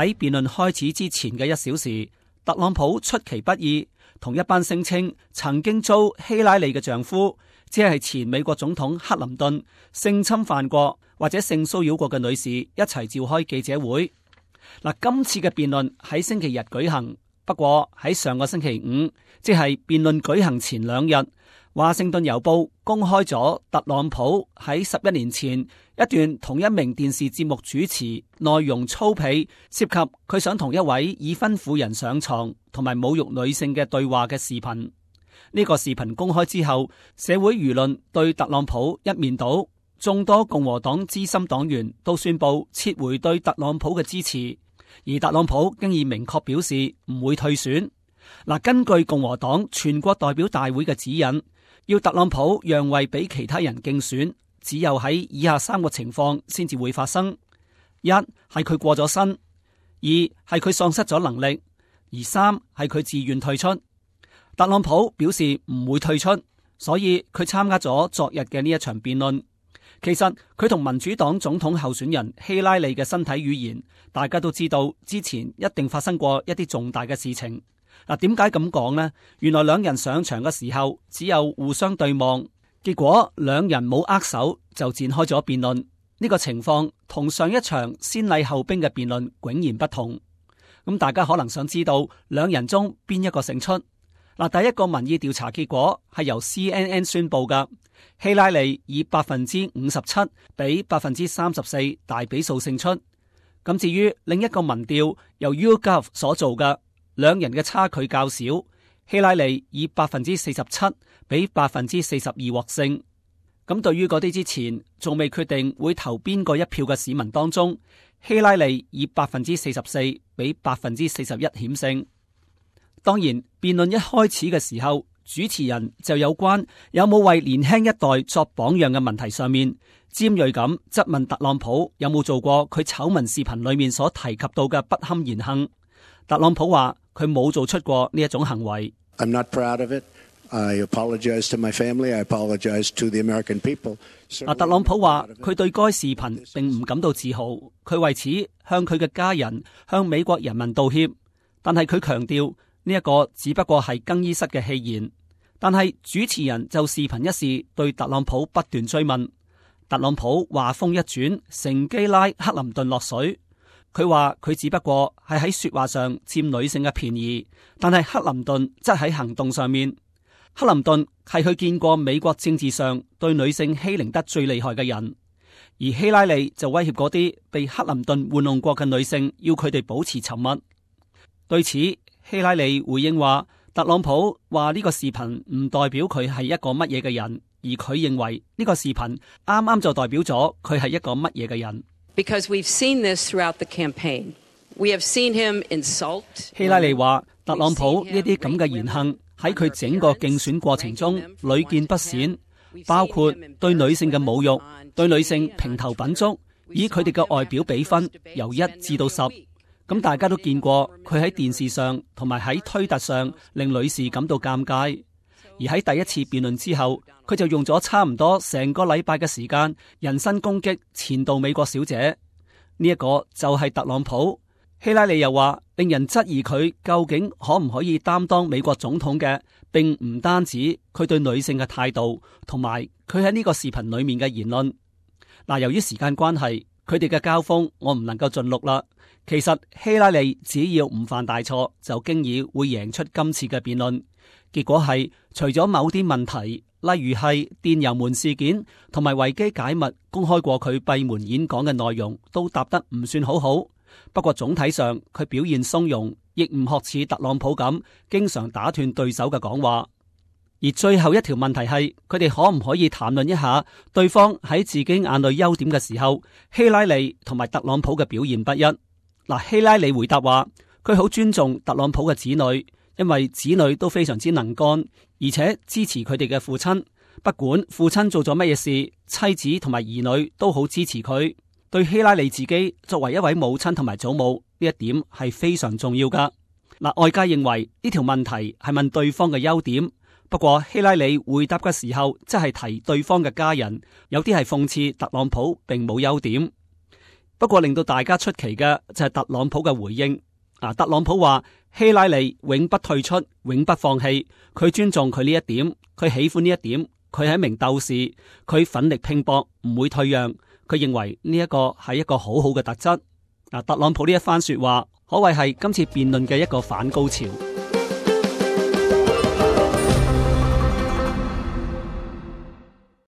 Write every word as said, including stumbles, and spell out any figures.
喺辯論開始之前嘅一小時，特朗普出其不意，同一班聲稱曾經遭希拉里嘅丈夫，即係前美國總統克林頓性侵犯過或者性騷擾過嘅女士一齊召開記者會。嗱，今次嘅辯論喺星期日舉行，不過喺上個星期五，即係辯論舉行前兩日，華盛頓郵報公開咗特朗普喺十一年前一段同一名電視節目主持內容粗鄙，涉及佢想同一位已婚婦人上床同埋侮辱女性嘅對話嘅視頻。呢個視頻公開之後，社會輿論對特朗普一面倒，眾多共和黨資深黨員都宣布撤回對特朗普嘅支持，而特朗普經已明確表示唔會退選。嗱，根據共和黨全國代表大會嘅指引，要特朗普讓位俾其他人競選，只有喺以下三個情況先至會發生：一係佢過咗身，二係佢喪失咗能力，而三係佢自願退出。特朗普表示唔會退出，所以佢參加咗昨日嘅呢一場辯論。其實佢同民主黨總統候選人希拉里嘅身體語言，大家都知道之前一定發生過一啲重大嘅事情。嗱，點解咁講呢？原來兩人上場嘅時候只有互相對望，結果兩人冇握手就展開咗辯論。呢個情況同上一場先禮後兵嘅辯論迥然不同。咁大家可能想知道兩人中邊一個勝出？嗱，第一個民意調查結果係由 C N N 宣布㗎，希拉里以百分之五十七比百分之三十四大比數勝出。咁至於另一個民調由 YouGov 所做嘅，兩人嘅差距較少，希拉里以百分之四十七比百分之四十二獲勝。咁對於嗰啲之前仲未決定會投邊個一票嘅市民當中，希拉里以百分之四十四比百分之四十一險勝。當然，辯論一開始嘅時候，主持人就有關有冇為年輕一代作榜樣嘅問題上面，尖銳咁質問特朗普有冇做過佢醜聞視頻裏面所提及到嘅不堪言行。特朗普話佢冇做出過呢一種行為。I'm not proud of it. I apologize to my family. I apologize to the American people. 啊，特朗普話佢對該視頻並唔感到自豪，佢為此向佢嘅家人、向美國人民道歉。但係佢強調呢一個只不過係更衣室嘅戲言。但係主持人就視頻一事對特朗普不斷追問。特朗普話風一轉，乘機拉克林頓落水。佢話佢只不過係喺說話上佔女性嘅便宜，但係克林頓則喺行動上面。克林頓係佢見過美國政治上對女性欺凌得最厲害嘅人，而希拉里就威脅嗰啲被克林頓玩弄過嘅女性，要佢哋保持沉默。對此，希拉里回應話，特朗普話呢個視頻唔代表佢係一個乜嘢嘅人，而佢認為呢個視頻啱啱就代表咗佢係一個乜嘢嘅人。Because we've seen this throughout the campaign. We have seen him insult. 希拉里話，特朗普呢啲咁嘅言行喺佢整個競選過程中屢見不鮮，包括對女性嘅侮辱，對女性評頭品足，以佢哋嘅外表比分由一至到十。咁大家都見過佢喺電視上同埋喺推特上令女士感到尷尬。而喺第一次辯論之後，佢就用咗差唔多成個禮拜嘅時間人身攻擊前度美國小姐。呢一個就係特朗普。希拉里又話，令人質疑佢究竟可唔可以擔當美國總統嘅，並唔單止佢對女性嘅態度，同埋佢喺呢個視頻裏面嘅言論。嗱，由於時間關係，佢哋嘅交鋒我唔能夠盡錄啦。其實希拉里只要唔犯大錯，就經已會贏出今次嘅辯論。結果係除咗某啲問題，例如係電郵門事件同埋維基解密公開過佢閉門演講嘅內容，都答得唔算好好。不過總體上佢表現鬆容，亦唔學似特朗普咁經常打斷對手嘅講話。而最後一條問題係，佢哋可唔可以談論一下對方喺自己眼裏優點嘅時候，希拉里同埋特朗普嘅表現不一。嗱，希拉里回答話，佢好尊重特朗普嘅子女，因為子女都非常之能幹，而且支持佢哋嘅父親。不管父親做咗乜嘢事，妻子同埋兒女都好支持佢。對希拉里自己作為一位母親同埋祖母，呢一點係非常重要噶。嗱，外界認為呢條問題係問對方嘅優點，不過希拉里回答嘅時候，即係提對方嘅家人，有啲係諷刺特朗普並冇優點。不過令到大家出奇嘅就係特朗普嘅回應。啊，特朗普話希拉里永不退出，永不放棄，佢尊重佢呢一點，佢喜歡呢一點，佢係一名鬥士，佢奮力拼搏，唔會退讓。佢認為呢一個係一個好好嘅特質。啊，特朗普呢一番說話可謂係今次辯論嘅一個反高潮。